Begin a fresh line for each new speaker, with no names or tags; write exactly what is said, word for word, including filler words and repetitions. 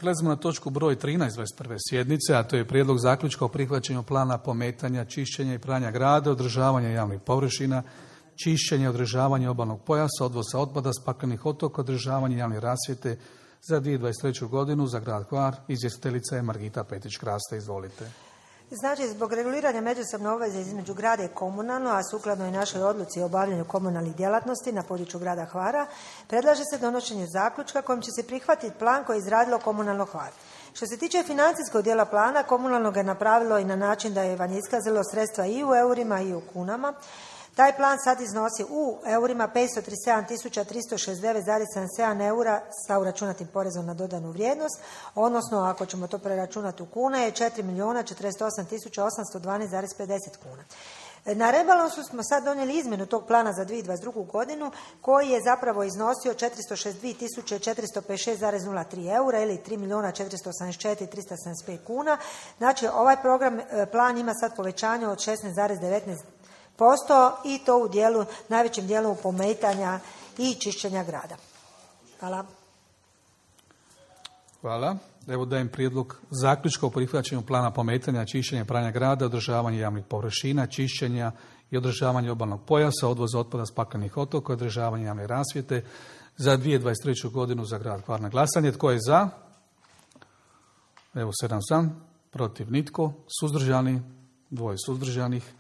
Prelazimo na točku broj trinaest dvadeset prve sjednice, a to je prijedlog zaključka o prihvaćanju plana pometanja, čišćenja i pranja grada, održavanja javnih površina, čišćenja i održavanja obalnog pojasa, odvoza otpada s paklenih otoka, održavanje javne rasvjete za dvije tisuće dvadeset treću godinu za grad Hvar. Izvjestiteljica je Margita Petrić-Kraste. Izvolite.
Znači, zbog reguliranja međusobne obveze između grada i komunalno, a sukladno i našoj odluci o obavljanju komunalnih djelatnosti na području grada Hvara, predlaže se donošenje zaključka kojim će se prihvatiti plan koji je izradilo komunalno Hvar. Što se tiče financijskog dijela plana, komunalno ga je napravilo i na način da je vam iskazalo sredstva i u eurima i u kunama. Taj plan sad iznosi u eurima petsto trideset sedam tisuća tristo šezdeset devet zarez sedamdeset sedam eura sa uračunatim porezom na dodanu vrijednost, odnosno ako ćemo to preračunati u kune je četiri milijuna četrdeset osam tisuća osamsto dvanaest zarez pedeset kuna. Na rebalansu smo sad donijeli izmjenu tog plana za dvije tisuće dvadeset drugu godinu koji je zapravo iznosio četiristo šezdeset dvije tisuće četiristo pedeset šest zarez nula tri eura ili tri milijuna četiristo osamdeset četiri tisuće tristo sedamdeset pet kuna. Znači ovaj program, plan ima sad povećanje od šesnaest zarez devetnaest posto i to u dijelu, najvećem dijelu pometanja i čišćenja grada. Hvala.
Hvala. Evo dajem prijedlog zaključka o prihvaćanju plana pometanja, čišćenja, pranja grada, održavanja javnih površina, čišćenja i održavanja obalnog pojasa, odvoza otpada s paklenih otoka, održavanja javne rasvjete za dvije tisuće dvadeset treću godinu za grad Hvar. Na glasanje. Tko je za? Evo sedam za, protiv nitko, suzdržani, dvoje suzdržanih.